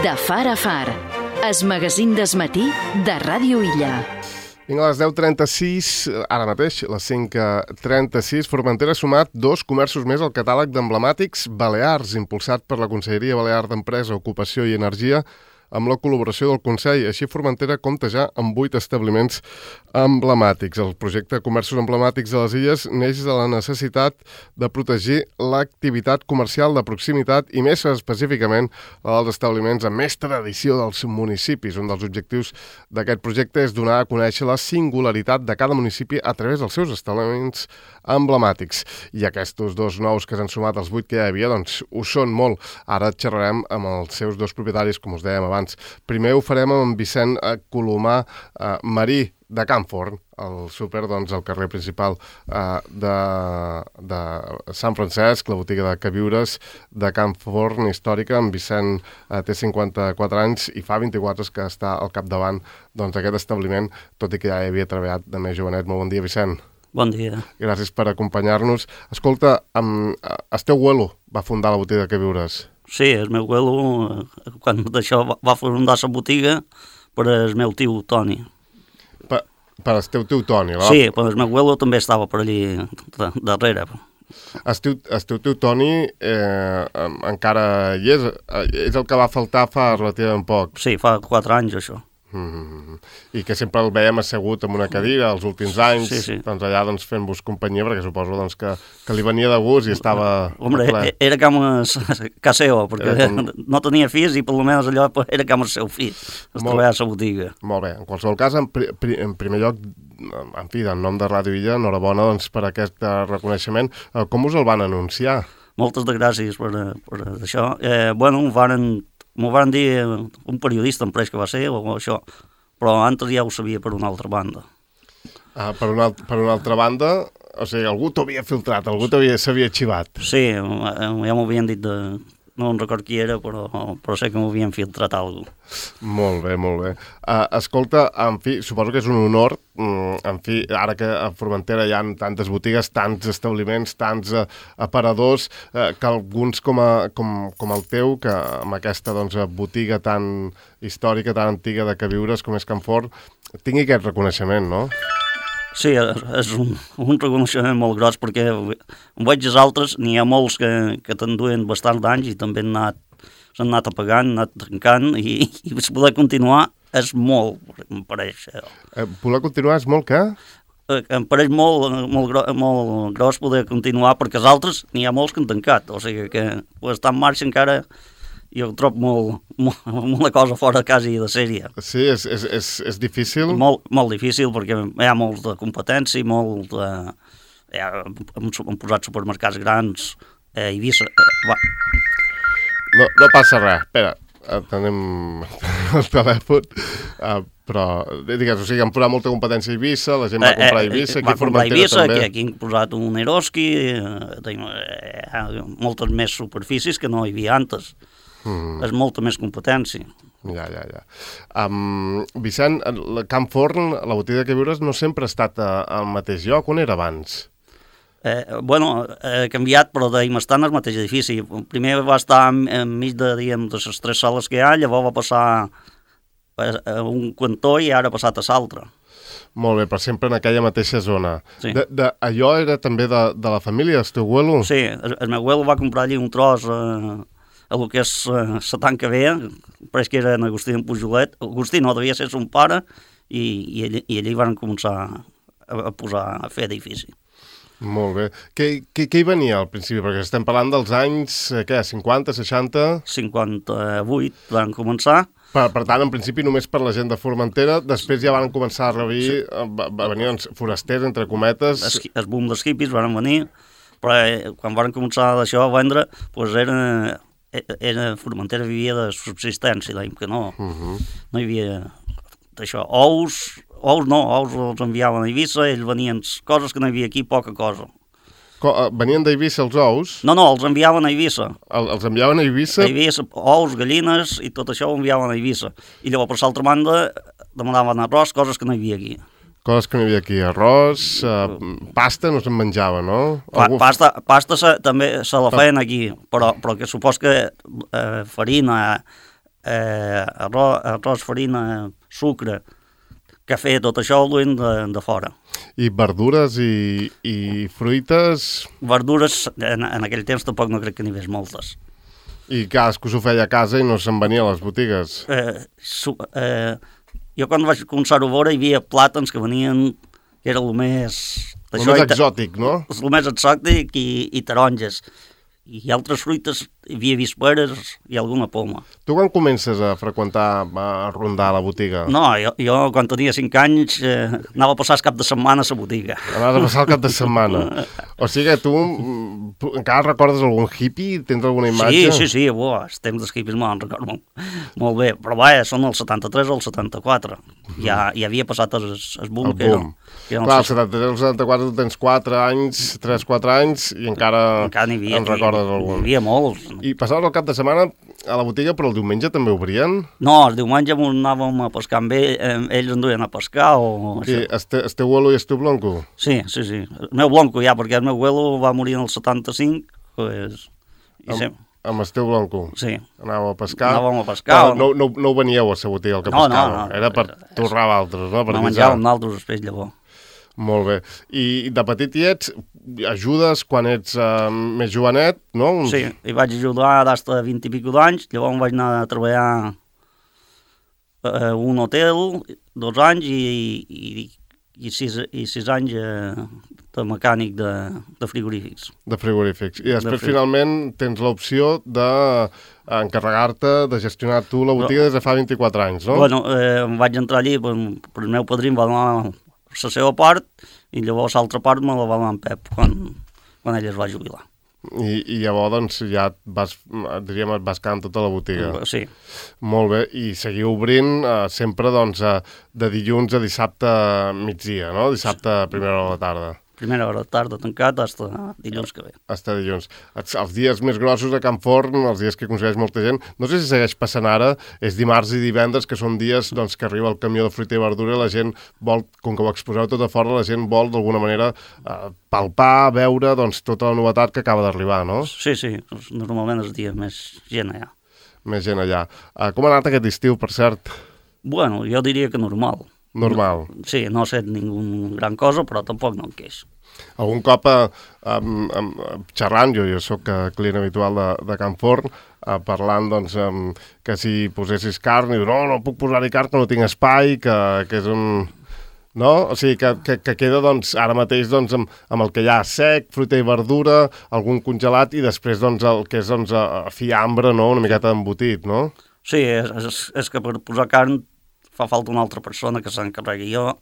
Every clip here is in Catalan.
De far a far, es magazín d'esmatí de Ràdio Illa. Vinga, a les 10:36, ara mateix, les 5:36, Formentera ha sumat 2 comerços més al catàleg d'emblemàtics balears, impulsat per la Conselleria Balear d'Empresa, Ocupació i Energia, amb la col·laboració del Consell. Així, Formentera compta ja amb 8 establiments emblemàtics. El projecte Comerços Emblemàtics de les Illes neix de la necessitat de protegir l'activitat comercial de proximitat i més específicament la dels establiments amb més tradició dels municipis. Un dels objectius d'aquest projecte és donar a conèixer la singularitat de cada municipi a través dels seus establiments emblemàtics. I aquests 2 nous que s'han sumat als 8 que ja hi havia, doncs ho són molt. Ara xerrarem amb els seus 2 propietaris, com us dèiem abans. Primer ho farem amb en Vicent Colomà Marí, de Can Forn, el súper, doncs, al carrer principal de Sant Francesc, la botiga de queviures de Can Forn històrica. En Vicent té 54 anys i fa 24 que està al capdavant d'aquest establiment, tot i que ja hi havia treballat de més jovenet. Molt bon dia, Vicent. Bon dia. Gràcies per acompanyar-nos. Escolta, el teu abuelo va fundar la botiga de queviures. Sí, el meu abuelo, quan d'això va fundar la botiga per el meu tio Toni. Per el teu Toni, no? Sí, però el meu abuelo també estava per allí darrere. El teu tio Toni encara hi és? És el que va faltar fa relativament poc. Sí, fa 4 anys, això. I que sempre el veiem assegut en una cadira els últims anys, sí. Doncs allà fent-vos companyia, perquè suposo que li venia de gust i estava... Hombre, era com casa seva, perquè no tenia fills i per almenys allò era com el seu fill, es treballava a la botiga. Molt bé, en qualsevol cas, en primer lloc, en fi, en nom de Ràdio Illa, enhorabona per aquest reconeixement. Com us el van anunciar? Moltes gràcies per això. M'ho van dir un periodista, em pareix que va ser, o això, però antes ja ho sabia per una altra banda. Per una altra banda, o sigui, algú t'havia filtrat, algú s'havia xivat. Sí, ja m'ho havien dit no record qui era, però sé que m'ho havien filtrat alguna cosa. Molt bé, molt bé. Escolta, en fi, suposo que és un honor, en fi, ara que a Formentera hi ha tantes botigues, tants establiments, tants aparadors, que alguns com el teu, que amb aquesta botiga tan històrica, tan antiga de queviures com és Can Forn, tingui aquest reconeixement, no? Sí, és un reconeixement molt gros, perquè veig els altres, n'hi ha molts que t'enduen bastants d'anys i també s'han anat apagant, han anat trencant, i poder continuar és molt, em pareix. Poder continuar és molt què? Em pareix molt gros poder continuar, perquè els altres n'hi ha molts que han tancat, o sigui que estar en marxa encara... Jo ho trobo una cosa fora quasi de sèrie. Sí, és difícil? Molt difícil, perquè hi ha molt de competència, hem posat supermercats grans, Eivissa... No passa res, espera, tenim el telèfon, però, digues, o sigui, han posat molta competència a Eivissa, la gent va comprar a Eivissa, aquí a Formentera també. Aquí han posat un Eroski, moltes més superfícies que no hi havia antes. És molta més competència. Ja. Vicent, Can Forn, la botiga de queviures, no sempre ha estat al mateix lloc. On era abans? Ha canviat, però estar en el mateix edifici. Primer va estar enmig de les 3 sales que hi ha, llavors va passar a un cantó i ara ha passat a l'altre. Molt bé, però sempre en aquella mateixa zona. Sí. Allò era també de la família, el teu abuelo? Sí, el meu abuelo va comprar allí un tros a lo que és la tanca vea, pareix que era en Agustí en Pujolet. Agustí no, devia ser son pare, i allí van començar a fer edifici. Molt bé. Què hi venia al principi? Perquè estem parlant dels anys, 50, 60? 58 van començar. Per tant, en principi només per la gent de Formentera, després ja van començar a venir forasters, entre cometes. El boom dels hippies van venir, però quan van començar d'això a vendre, doncs Formentera vivia de subsistència, dèiem que no hi havia d'això. Ous els enviaven a Eivissa, ells venien coses que no hi havia aquí, poca cosa. Venien d'Eivissa els ous? No, els enviaven a Eivissa. Els enviaven a Eivissa? A Eivissa, ous, gallines, i tot això ho enviaven a Eivissa. I llavors, per l'altra banda, demanaven arròs, coses que no hi havia aquí. Coses que no hi havia aquí, arròs, pasta no se'n menjava, no? Pasta també se la feien aquí, però que supos que farina, arròs, farina, sucre, cafè, tot això ho duim de fora. I verdures i fruites... Verdures, en aquell temps tampoc no crec que n'hi hagués moltes. I cadascú s'ho feia a casa i no se'n venia a les botigues. Jo quan vaig començar-ho a veure hi havia plàtans que venien, que era el més... El més exòtic, no? El més exòtic i taronges. I altres fruites, hi havia visperes i alguna poma. Tu quan comences a freqüentar, a rondar la botiga? No, jo quan tenia 5 anys anava a passar el cap de setmana a la botiga. Anaves a passar el cap de setmana. O sigui que tu encara recordes algun hippie? Tens alguna imatge? Sí, els temps dels hippies me'n recordo molt bé. Però vaja, són el 73 o el 74. Ja havia passat el boom. El boom. Clar, el 73 o el 74 tu tens 4 anys, 3-4 anys i encara n'hi havia. En recordes algun. N'hi havia molts. I passaves el cap de setmana a la botiga, però el diumenge també obrien? No, el diumenge anàvem a pescar amb ells en duien a pescar o... Sí, el teu abuelo i el teu blonco? Sí. El meu blonco ja, perquè el meu abuelo va morir en el 75, pues... Amb el teu blonco? Sí. Anàvem a pescar? Anàvem a pescar. No veníeu a la botiga el que pescava? No. Era per torrar a altres, no? No menjàvem d'altres després, llavors. Molt bé. I de petit i ajudes quan ets més jovenet, no? Sí, hi vaig ajudar des de 20 i pico d'anys, llavors vaig anar a treballar a un hotel 2 anys i 6 anys de mecànic de frigorífics. De frigorífics. I després finalment tens l'opció d'encarregar-te de gestionar tu la botiga des de fa 24 anys, no? Bueno, em vaig entrar allí, però el meu padrí em va donar la seva part i llavors l'altra part me la va donar en Pep quan ell es va jubilar. I llavors doncs ja diríem, et vas quedar en tota la botiga. Sí. Molt bé, i seguiu obrint sempre doncs de dilluns a dissabte migdia, no? Dissabte a primera hora de la tarda. Primera hora de tarda tancat fins dilluns que ve. Fins dilluns. Els dies més grossos a Can Forn, els dies que aconsegueix molta gent, no sé si segueix passant ara, és dimarts i divendres, que són dies doncs, que arriba el camió de fruita i verdura i la gent vol, com que ho exposeu tot a fora, la gent vol d'alguna manera palpar, veure doncs, tota la novetat que acaba d'arribar, no? Sí, normalment és dia més gent allà. Més gent allà. Com ha anat aquest estiu, per cert? Bueno, jo diria que normal. Normal. Sí, no ha set ningú gran cosa, però tampoc no em queix. Algun cop xerrant, jo soc client habitual de Can Forn, parlant doncs, que si posessis carn, i no puc posar-hi carn, que no tinc espai, que és un... No? O sigui, que queda doncs, ara mateix doncs, amb el que hi ha sec, fruita i verdura, algun congelat i després doncs, el que és doncs, fiambre, no? Una miqueta d'embotit, no? Sí, és que per posar carn fa falta una altra persona que s'encarregui. Jo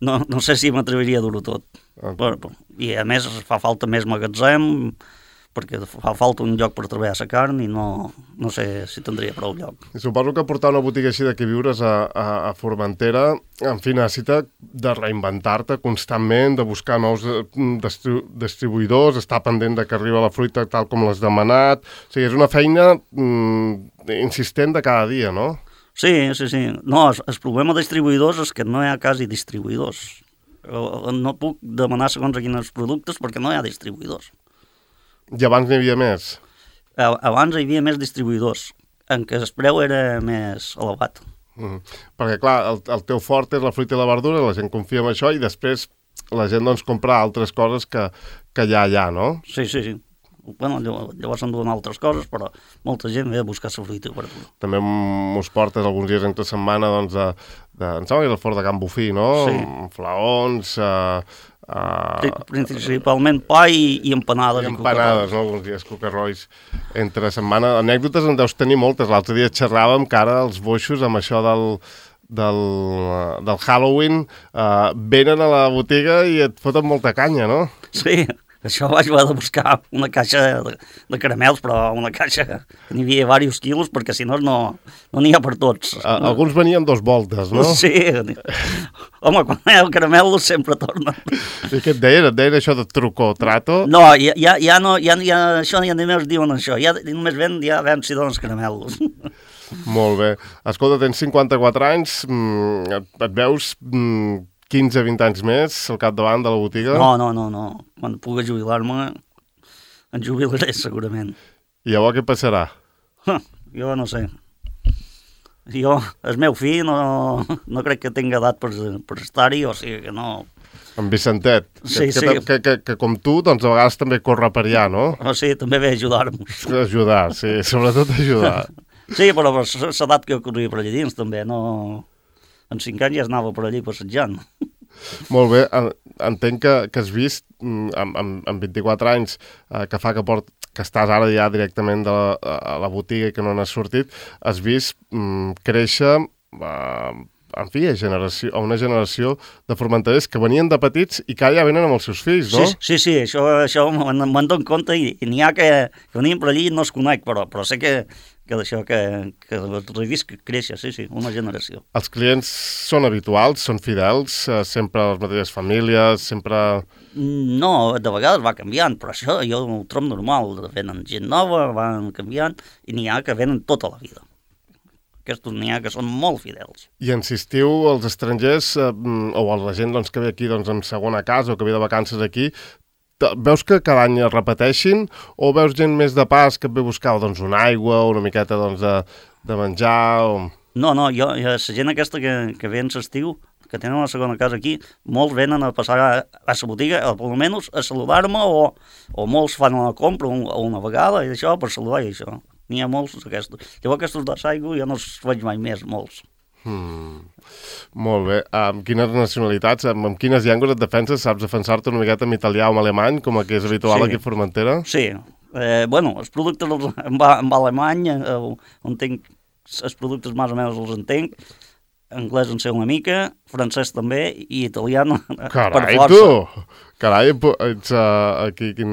no sé si m'atreviria a dur-ho tot. I a més fa falta més magatzem, perquè fa falta un lloc per treballar la carn i no sé si tindria prou lloc. I suposo que portar una botiga així d'aquí viures a Formentera, en fi, necessita de reinventar-te constantment, de buscar nous distribuïdors, estar pendent de que arriba la fruita tal com l'has demanat. O sigui, és una feina insistent de cada dia, no? Sí. No, el problema de distribuïdors és que no hi ha quasi distribuïdors. No puc demanar segons a quins productes perquè no hi ha distribuïdors. I abans n'hi havia més? Abans hi havia més distribuïdors, en què el preu era més elevat. Perquè, clar, el teu fort és la fruita i la verdura, la gent confia en això i després la gent doncs compra altres coses que hi ha allà, no? Sí. Bueno, llavors s'enduen altres coses, però molta gent ve a buscar la fruita i verdura. També mos portes alguns dies entre setmana, doncs, em sembla que és el fort de Can Bufí, no? Sí. Flaons, principalment pa i empanades. I empanades, no? Alguns dies cocarrois entre setmana. Anècdotes en deus tenir moltes. L'altre dia xerràvem que ara els boixos amb això del Halloween venen a la botiga i et foten molta canya, no? Sí. Això vaig haver de buscar una caixa de caramels, però una caixa que n'hi havia diversos quilos, perquè si no n'hi ha per tots. Alguns venien 2 voltes, no? Sí. Home, quan hi ha el caramel sempre torna. I què et deien? Et deien això de truco o trato? No, ja no, això ja només diuen això. Ja només ven si donen els caramels. Molt bé. Escolta, tens 54 anys, et veus 15-20 anys més al capdavant de la botiga? No. Quan pugui jubilar-me, em jubilaré segurament. I llavors què passarà? Jo no sé. Jo, el meu fill, no crec que tingui edat per estar-hi, o sigui que no... En Vicentet, Sí, que com tu, doncs a vegades també corre per allà, no? O sigui, també ve a ajudar-nos. Ajudar, sí, sobretot ajudar. Sí, però per l'edat que corria per allà dins, també, no... En 5 anys ja anava per allí passejant. Molt bé, entenc que has vist, amb 24 anys, que fa que estàs ara ja directament a la botiga i que no n'has sortit, has vist créixer... en fi, a una generació de formenterers que venien de petits i que ara ja venen amb els seus fills, no? Sí, això me'n dono compte i n'hi ha que venien per allí i no es conec, però sé que d'això que he vist créixer, sí, una generació. Els clients són habituals, són fidels, sempre les mateixes famílies, sempre... No, de vegades va canviant, però això jo ho trobo normal, venen gent nova, van canviant i n'hi ha que venen tota la vida. Aquests n'hi ha que són molt fidels. I insistiu als estrangers o a la gent que ve aquí en segona casa o que ve de vacances aquí, veus que cada any es repeteixin o veus gent més de pas que et ve a buscar una aigua o una miqueta de menjar? O... No, jo, la gent aquesta que ve en l'estiu, que tenen la segona casa aquí, molts venen a passar a la botiga, almenys a saludar-me o molts fan una compra una vegada i això per saludar i això. N'hi ha molts d'aquestos. Llavors aquestos de Saigo ja no els veig mai més, molts. Molt bé. Amb quines nacionalitats, amb quines llengües et defenses? Saps defensar-te una miqueta en italià o en alemany, com que és habitual aquí a Formentera? Sí. Els productes en alemany, entenc, els productes més o menys els entenc, anglès en sé una mica, francès també, i italià per força. Tu! Carai, ets aquí quin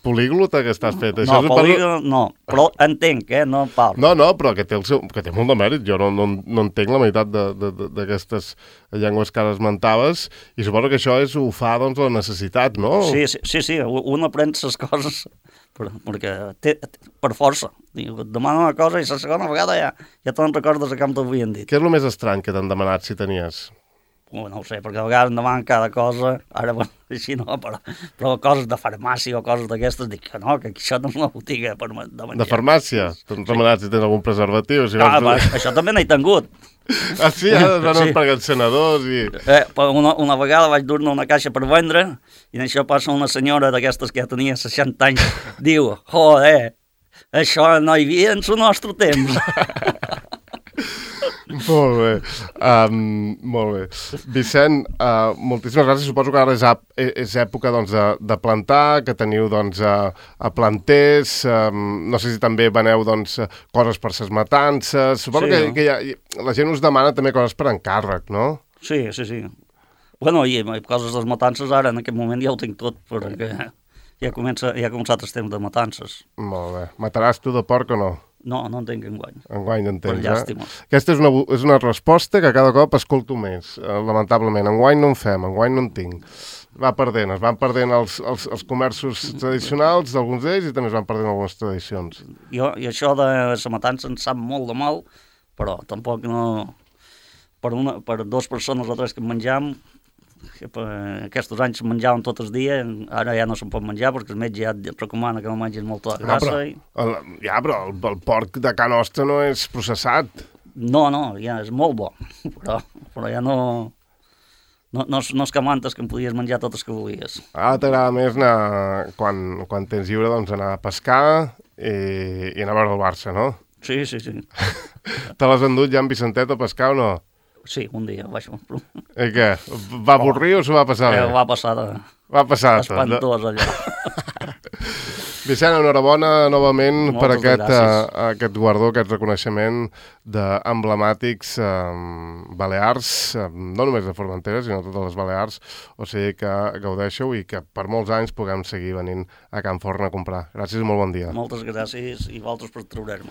políglota que estàs fet. No, políglota no, però entenc, no parlo. No, però que té molt de mèrit. Jo no entenc la meitat d'aquestes llengües que ara esmentaves, i suposo que això ho fa, la necessitat, no? Sí, un aprèn les coses perquè per força. Et demana una cosa i la segona vegada ja te'n recordes que t'havien dit. Què és el més estrany que t'han demanat, si tenies? No ho sé, perquè a vegades em demanen cada cosa, ara així no, però coses de farmàcia o coses d'aquestes, dic que no, que això no és una botiga de menjar. De farmàcia? T'han demanat si tens algun preservatiu? Això també n'he tingut. Ah, sí? Ara van per els senadors i... Una vegada vaig dur-ne una caixa per vendre i en això passa una senyora d'aquestes que ja tenia 60 anys, diu, joder, això no hi havia en el nostre temps. Molt bé. Vicent, moltíssimes gràcies. Suposo que ara és època de plantar, que teniu a planters, no sé si també veneu coses per ses matances. Suposo que la gent us demana també coses per encàrrec, no? Sí. Bueno, i coses de les matances ara, en aquest moment ja ho tinc tot, perquè ja ha començat el temps de matances. Molt bé. Mataràs tu de porc o no? No en tinc enguany. Enguany en tens, per llàstima. Aquesta és una resposta que cada cop escolto més, lamentablement. Enguany no en fem, enguany no en tinc. Es van perdent els comerços tradicionals d'alguns d'ells i també es van perdent algunes tradicions. I això de la matança em sap molt de mal, però tampoc no... Per 2 persones o 3 que menjam, aquests anys menjaven tots els dies, ara ja no se'n pot menjar perquè el metge ja et recomana que no mengis molta grassa. Però el porc de ca nostra no és processat. No, ja és molt bo, però ja no és que mantes que em podies menjar totes que volies. Ara t'agrada més anar, quan tens lliure, anar a pescar i anar a veure el Barça, no? Sí. Te l'has endut ja en Vicentet a pescar o no? Sí, un dia vaig... I què? Va avorrir o s'ho va passar bé? Va passar espantós allò. Vicent, enhorabona novament per aquest guardó, aquest reconeixement d'emblemàtics balears, no només de Formentera, sinó de totes les Balears, o sigui que gaudeixeu i que per molts anys puguem seguir venint a Can Forn a comprar. Gràcies i molt bon dia. Moltes gràcies i vosaltres per treure'm.